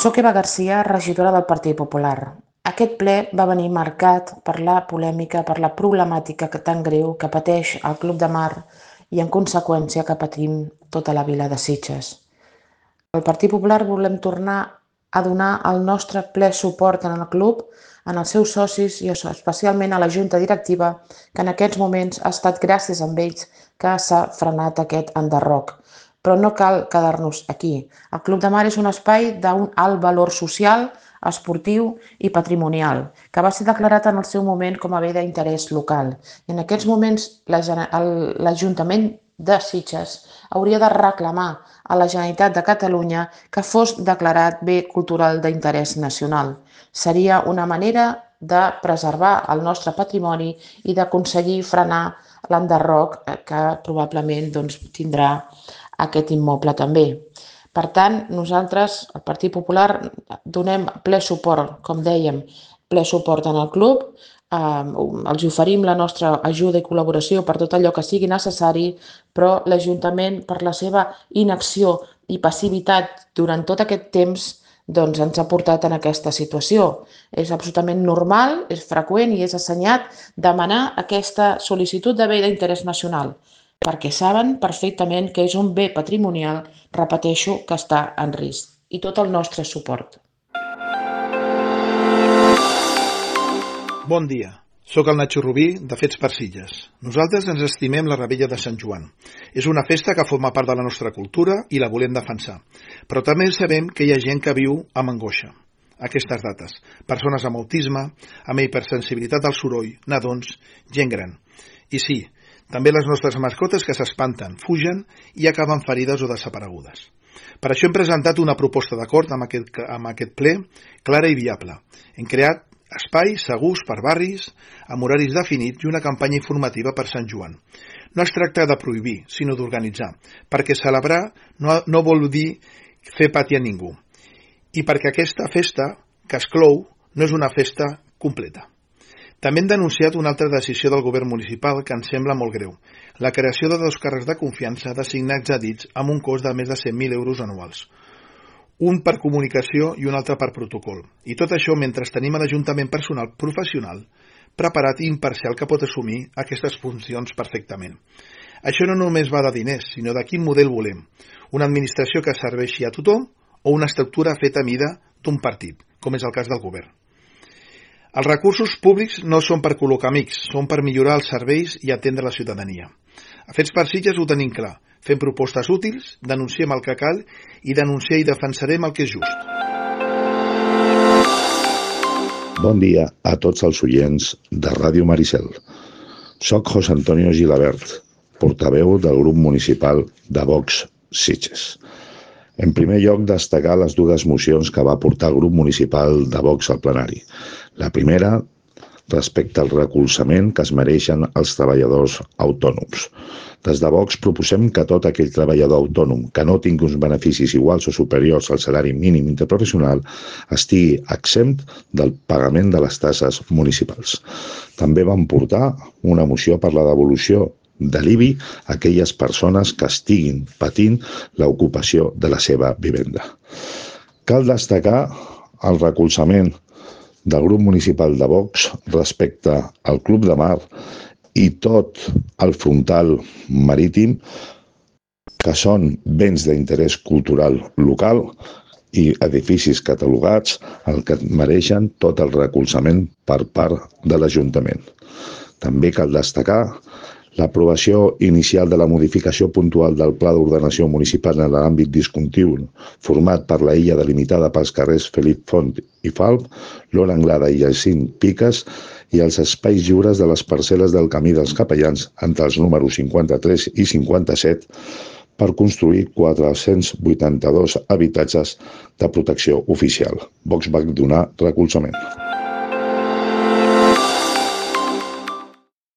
Soc Eva Garcia, regidora del Partit Popular. Aquest ple va venir marcat per la polèmica, per la problemàtica tan greu que pateix el Club de Mar i, en conseqüència, que patim tota la vila de Sitges. El Partit Popular volem tornar a donar el nostre ple suport en el club, en els seus socis i especialment a la Junta Directiva, que en aquests moments ha estat gràcies a ells que s'ha frenat aquest enderroc. Però no cal quedar-nos aquí. El Club de Mar és un espai d'un alt valor social, esportiu i patrimonial, que va ser declarat en el seu moment com a bé d'interès local. I en aquests moments l'Ajuntament de Sitges hauria de reclamar a la Generalitat de Catalunya que fos declarat bé cultural d'interès nacional. Seria una manera de preservar el nostre patrimoni i d'aconseguir frenar l'enderroc que probablement tindrà aquest immoble també. Per tant, nosaltres, el Partit Popular, donem ple suport, com dèiem, ple suport en el club, els oferim la nostra ajuda i col·laboració per tot allò que sigui necessari, però l'Ajuntament, per la seva inacció i passivitat durant tot aquest temps, ens ha portat en aquesta situació. És absolutament normal, és freqüent i és assenyat demanar aquesta sol·licitud de bé d'interès nacional, perquè saben perfectament que és un bé patrimonial, repeteixo, que està en risc. I tot el nostre suport. Bon dia. Soc el Nacho Rubí, de Fets per Sitges. Nosaltres ens estimem la Revetlla de Sant Joan. És una festa que forma part de la nostra cultura i la volem defensar. Però també sabem que hi ha gent que viu amb angoixa aquestes dates. Persones amb autisme, amb hipersensibilitat al soroll, nadons, gent gran. I sí, també les nostres mascotes que s'espanten, fugen i acaben ferides o desaparegudes. Per això hem presentat una proposta d'acord amb aquest ple clara i viable. Hem creat espais segurs per barris, amb horaris definits i una campanya informativa per Sant Joan. No es tracta de prohibir, sinó d'organitzar, perquè celebrar no vol dir fer patir a ningú. I perquè aquesta festa, que exclou, no és una festa completa. També hem denunciat una altra decisió del govern municipal que ens sembla molt greu, la creació de 2 càrrecs de confiança designats a dits amb un cost de més de 100.000 euros anuals. Un per comunicació i un altre per protocol. I tot això mentre tenim a l'Ajuntament personal professional, preparat i imparcial que pot assumir aquestes funcions perfectament. Això no només va de diners, sinó de quin model volem. Una administració que serveixi a tothom o una estructura feta a mida d'un partit, com és el cas del govern. Els recursos públics no són per col·locar amics, són per millorar els serveis i atendre la ciutadania. A Fets per Sitges ho tenim clar. Fem propostes útils, denunciem el que cal i denunciem i defensarem el que és just. Bon dia a tots els oients de Ràdio Maricel. Soc José Antonio Gilabert, portaveu del grup municipal de Vox Sitges. En primer lloc, destacar les 2 mocions que va portar el grup municipal de Vox al plenari. La primera, respecte al recolzament que es mereixen els treballadors autònoms. Des de Vox proposem que tot aquell treballador autònom que no tingui uns beneficis iguals o superiors al salari mínim interprofessional estigui exempt del pagament de les taxes municipals. També vam portar una moció per la devolució de l'IBI a aquelles persones que estiguin patint l'ocupació de la seva vivenda. Cal destacar el recolzament del grup municipal de Vox respecte al Club de Mar i tot el frontal marítim, que són béns d'interès cultural local i edificis catalogats, el que mereixen tot el recolzament per part de l'Ajuntament. També cal destacar l'aprovació inicial de la modificació puntual del Pla d'Ordenació Municipal en l'àmbit discontigu, format per la illa delimitada pels carrers Felip Font i Falp, Lola Anglada i Jacint Piques, i els espais lliures de les parcel·les del Camí dels Capellans entre els números 53 i 57 per construir 482 habitatges de protecció oficial. Vox va donar recolzament.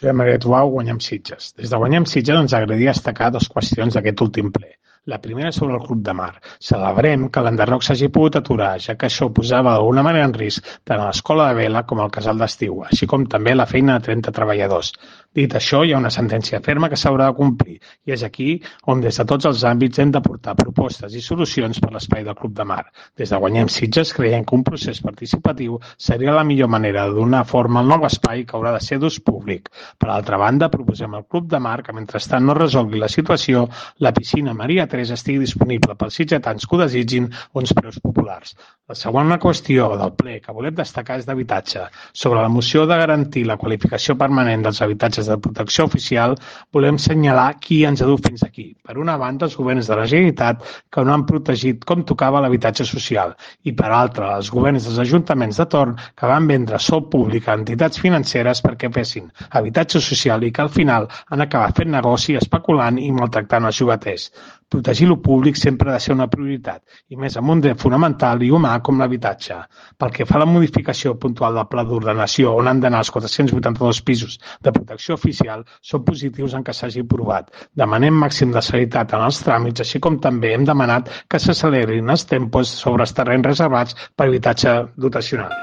Maria Tuau, Guanyem Sitges. Des de Guanyem Sitges ens agradaria destacar 2 qüestions d'aquest últim ple. La primera és sobre el Club de Mar. Celebrem que l'enderroc s'hagi pogut aturar, ja que això posava d'alguna manera en risc tant a l'escola de vela com al casal d'estiu, així com també la feina de 30 treballadors. Dit això, hi ha una sentència ferma que s'haurà de complir i és aquí on des de tots els àmbits hem de portar propostes i solucions per l'espai del Club de Mar. Des de Guanyem Sitges creiem que un procés participatiu seria la millor manera de donar forma al nou espai que haurà de ser d'ús públic. Per altra banda, proposem al Club de Mar que mentrestant no resolgui la situació, la piscina Maria Teresa estigui disponible pels sitgetans que ho desitgin a uns preus populars. La segona qüestió del ple que volem destacar és d'habitatge. Sobre la moció de garantir la qualificació permanent dels habitatges de protecció oficial, volem assenyalar qui ens ha dut fins aquí. Per una banda, els governs de la Generalitat que no han protegit com tocava l'habitatge social i, per altra, els governs dels ajuntaments de torn que van vendre sol públic a entitats financeres perquè fessin habitatge social i que al final han acabat fent negoci especulant i maltractant els llogaters. Protegir lo públic sempre ha de ser una prioritat, i més en un dret fonamental i humà com l'habitatge. Pel que fa a la modificació puntual del pla d'ordenació on han d'anar els 482 pisos de protecció oficial, són positius en què s'hagi aprovat. Demanem màxim de celeritat en els tràmits, així com també hem demanat que s'accelerin els tempos sobre els terrenys reservats per habitatge dotacional.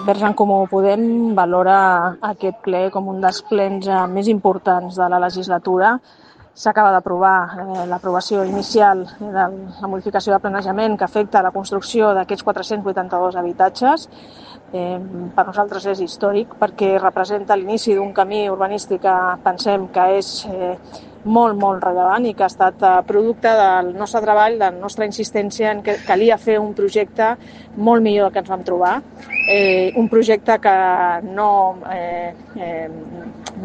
Verds en Comú Podem valora aquest ple com un dels plens més importants de la legislatura. S'acaba d'aprovar l'aprovació inicial de la modificació de planejament que afecta la construcció d'aquests 482 habitatges. Per nosaltres és històric perquè representa l'inici d'un camí urbanístic que pensem que és molt, molt rellevant i que ha estat producte del nostre treball, de la nostra insistència en que calia fer un projecte molt millor del que ens vam trobar. Un projecte que no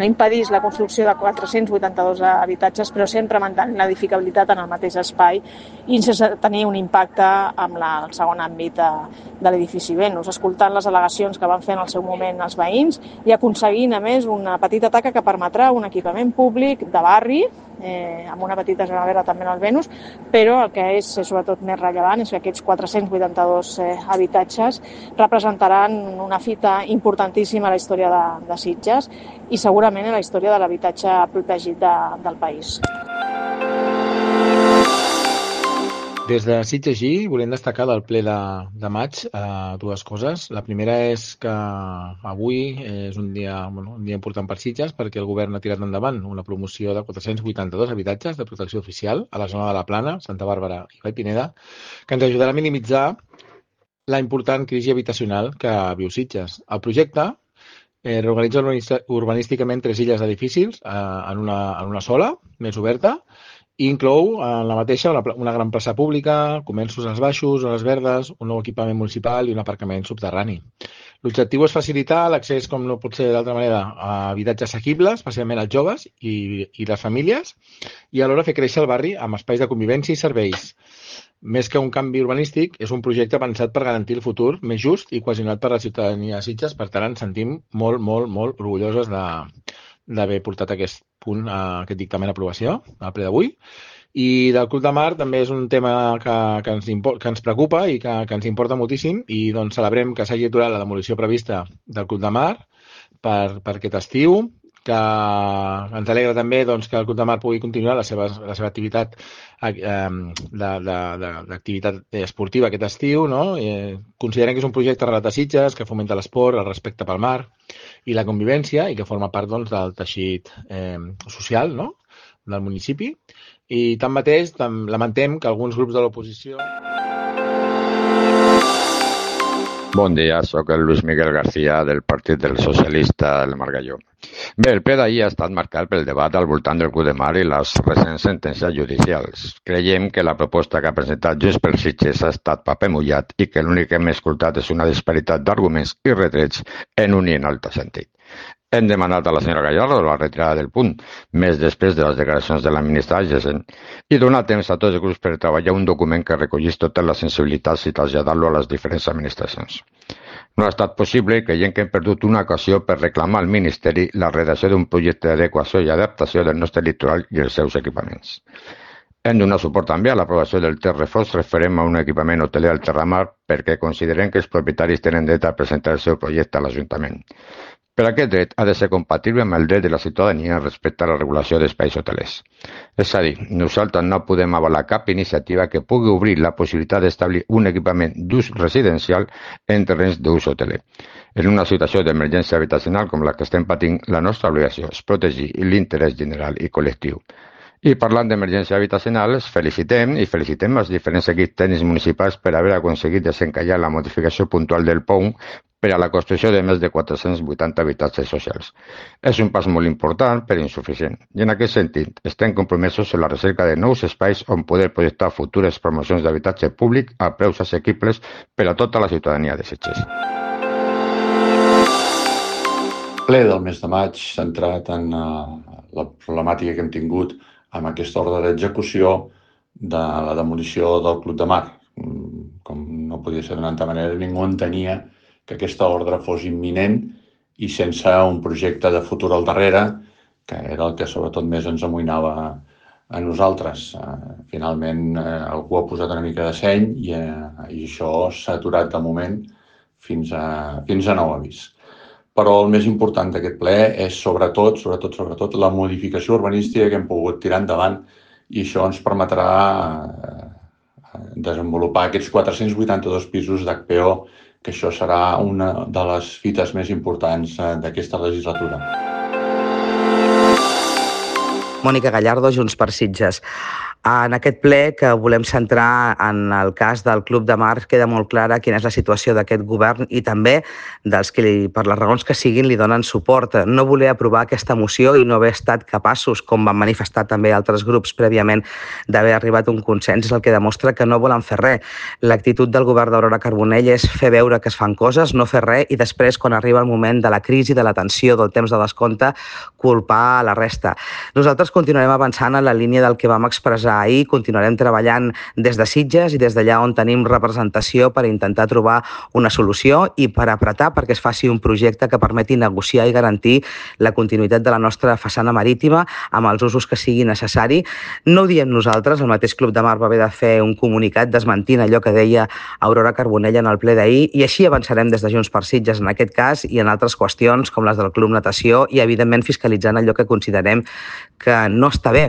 impedís la construcció de 482 habitatges, però sempre mantenint l'edificabilitat en el mateix espai i sense tenir un impacte amb el segon àmbit de l'edifici Venus, escoltant les al·legacions que van fer en el seu moment els veïns i aconseguint, a més, una petita taca que permetrà un equipament públic de barri, amb una petita zona verda també en el Venus, però el que és sobretot més rellevant és que aquests 482 habitatges representaran una fita importantíssima a la història de Sitges i segurament a la història de l'habitatge protegit del país. Des de Sitges volem destacar del ple de maig dues coses. La primera és que avui és un dia important per Sitges perquè el govern ha tirat endavant una promoció de 482 habitatges de protecció oficial a la zona de la Plana, Santa Bàrbara i Vall Pineda, que ens ajudarà a minimitzar la important crisi habitacional que viu Sitges. El projecte reorganitza urbanísticament 3 illes d'edificis en una sola, més oberta, i inclou en la mateixa una gran plaça pública, comerços als baixos, zones verdes, un nou equipament municipal i un aparcament subterrani. L'objectiu és facilitar l'accés, com no pot ser d'altra manera, a habitatges assequibles, especialment als joves i les famílies, i alhora fer créixer el barri amb espais de convivència i serveis. Més que un canvi urbanístic, és un projecte pensat per garantir el futur més just i cohesionat per la ciutadania de Sitges. Per tant, ens sentim molt, molt, molt orgullosos d'haver portat aquest punt, aquest dictamen d'aprovació al ple d'avui. I del Club de Mar també és un tema que ens preocupa i que ens importa moltíssim i doncs celebrem que s'hagi aturat la demolició prevista del Club de Mar per aquest estiu, que ens alegra també doncs, que el Club de Mar pugui continuar la seva activitat d'activitat esportiva aquest estiu, no? Considerem que és un projecte arrelat a Sitges, que fomenta l'esport, el respecte pel mar i la convivència i que forma part doncs, del teixit social, no? Del municipi. I tanmateix lamentem que alguns grups de l'oposició... Bon dia, sóc el Luis Miguel García del Partit dels Socialistes del Margalló. Bé, el ple d'ahir ha estat marcat pel debat al voltant del Club de Mar i les recents sentències judicials. Creiem que la proposta que ha presentat Junts pel Sitges ha estat paper mullat i que l'únic que hem escoltat és una disparitat d'arguments i retrets en un i en altre sentit. Hem demanat a la senyora Gallardo la retirada del punt, més després de les declaracions de la ministra Agesen, i donar temps a tots els grups per treballar un document que recollís totes les sensibilitats i traslladar-lo a les diferents administracions. No ha estat possible i creiem que hem perdut una ocasió per reclamar al Ministeri la redacció d'un projecte d'adequació i adaptació del nostre litoral i els seus equipaments. Hem donat suport també a l'aprovació del Terrefós referent a un equipament hoteler al Terramar perquè considerem que els propietaris tenen dret a presentar el seu projecte a l'Ajuntament. Però aquest dret ha de ser compatible amb el dret de la ciutadania respecte a la regulació d'espais hotelers. És a dir, nosaltres no podem avalar cap iniciativa que pugui obrir la possibilitat d'establir un equipament d'ús residencial en terrenys d'ús hoteler. En una situació d'emergència habitacional com la que estem patint, la nostra obligació és protegir l'interès general i col·lectiu. I parlant d'emergència habitacional, felicitem els diferents equips tècnics municipals per haver aconseguit desencallar la modificació puntual del POUM per a la construcció de més de 480 habitatges socials. És un pas molt important, però insuficient. I en aquest sentit, estem compromesos en la recerca de nous espais on poder projectar futures promocions d'habitatge públic a preus assequibles per a tota la ciutadania de Sitges. Ple del mes de maig centrat en la problemàtica que hem tingut amb aquesta ordre d'execució de la demolició del Club de Mar. Com no podia ser d'una altra manera, ningú entenia que aquesta ordre fos imminent i sense un projecte de futur al darrere, que era el que sobretot més ens amoïnava a nosaltres. Finalment algú ha posat una mica de seny i això s'ha aturat de moment fins a nou avís. Però el més important d'aquest ple és sobretot la modificació urbanística que hem pogut tirar endavant i això ens permetrà desenvolupar aquests 482 pisos d'HPO, que això serà una de les fites més importants d'aquesta legislatura. Mònica Gallardo, Junts per Sitges. En aquest ple que volem centrar en el cas del Club de Mar queda molt clara quina és la situació d'aquest govern i també dels que, per les raons que siguin, li donen suport. No voler aprovar aquesta moció i no haver estat capaços, com van manifestar també altres grups prèviament, d'haver arribat a un consens és el que demostra que no volen fer res. L'actitud del govern d'Aurora Carbonell és fer veure que es fan coses, no fer res i després, quan arriba el moment de la crisi, de la tensió, del temps de descompte, culpar a la resta. Nosaltres continuarem avançant en la línia del que vam expressar ahir, continuarem treballant des de Sitges i des d'allà on tenim representació per intentar trobar una solució i per apretar perquè es faci un projecte que permeti negociar i garantir la continuïtat de la nostra façana marítima amb els usos que sigui necessari. No ho diem nosaltres, el mateix Club de Mar va haver de fer un comunicat desmentint allò que deia Aurora Carbonell en el ple d'ahir i així avançarem des de Junts per Sitges en aquest cas i en altres qüestions com les del Club Natació i evidentment fiscalitzant allò que considerem que no està bé.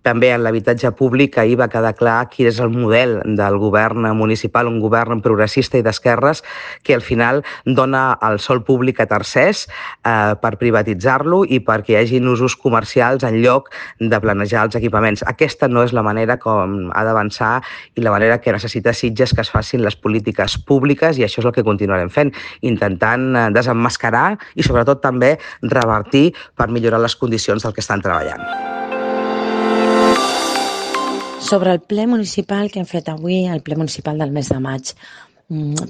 També en l'habitatge públic ahir va quedar clar quin és el model del govern municipal, un govern progressista i d'esquerres que al final dona el sòl públic a tercers per privatitzar-lo i perquè hi hagin usos comercials en lloc de planejar els equipaments. Aquesta no és la manera com ha d'avançar i la manera que necessita Sitges que es facin les polítiques públiques i això és el que continuarem fent, intentant desemmascarar i sobretot també revertir per millorar les condicions del que estan treballant. Sobre el ple municipal que hem fet avui, el ple municipal del mes de maig,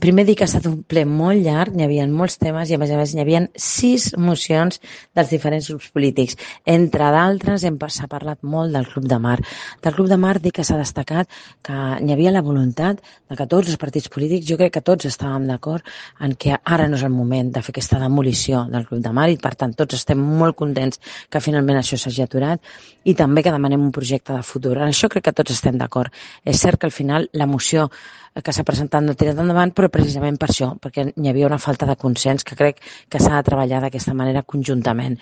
primer dir que ha estat un ple molt llarg, hi havia molts temes i a més hi havia 6 mocions dels diferents grups polítics. Entre d'altres s'ha parlat molt del Club de Mar. Del Club de Mar dir que s'ha destacat que hi havia la voluntat de que tots els partits polítics, jo crec que tots estàvem d'acord en que ara no és el moment de fer aquesta demolició del Club de Mar i per tant tots estem molt contents que finalment això s'hagi aturat i també que demanem un projecte de futur. En això crec que tots estem d'acord. És cert que al final la moció que s'ha presentat no ha tirat endavant, però precisament per això, perquè hi havia una falta de consens que crec que s'ha de treballar d'aquesta manera conjuntament.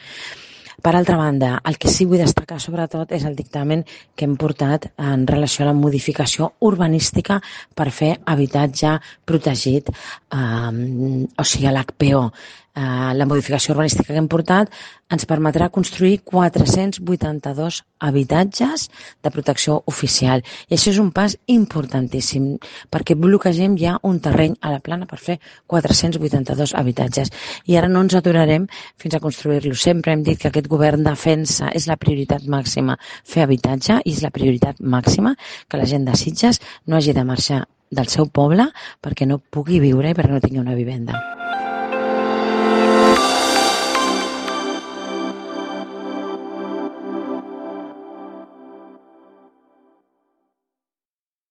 Per altra banda, el que sí vull destacar sobretot és el dictamen que hem portat en relació a la modificació urbanística per fer habitatge protegit, o sigui, a l'HPO. La modificació urbanística que hem portat ens permetrà construir 482 habitatges de protecció oficial. I això és un pas importantíssim, perquè bloquegem ja un terreny a la plana per fer 482 habitatges. I ara no ens aturarem fins a construir-lo. Sempre hem dit que aquest govern defensa, és la prioritat màxima fer habitatge i és la prioritat màxima que la gent de Sitges no hagi de marxar del seu poble perquè no pugui viure i perquè no tingui una vivenda.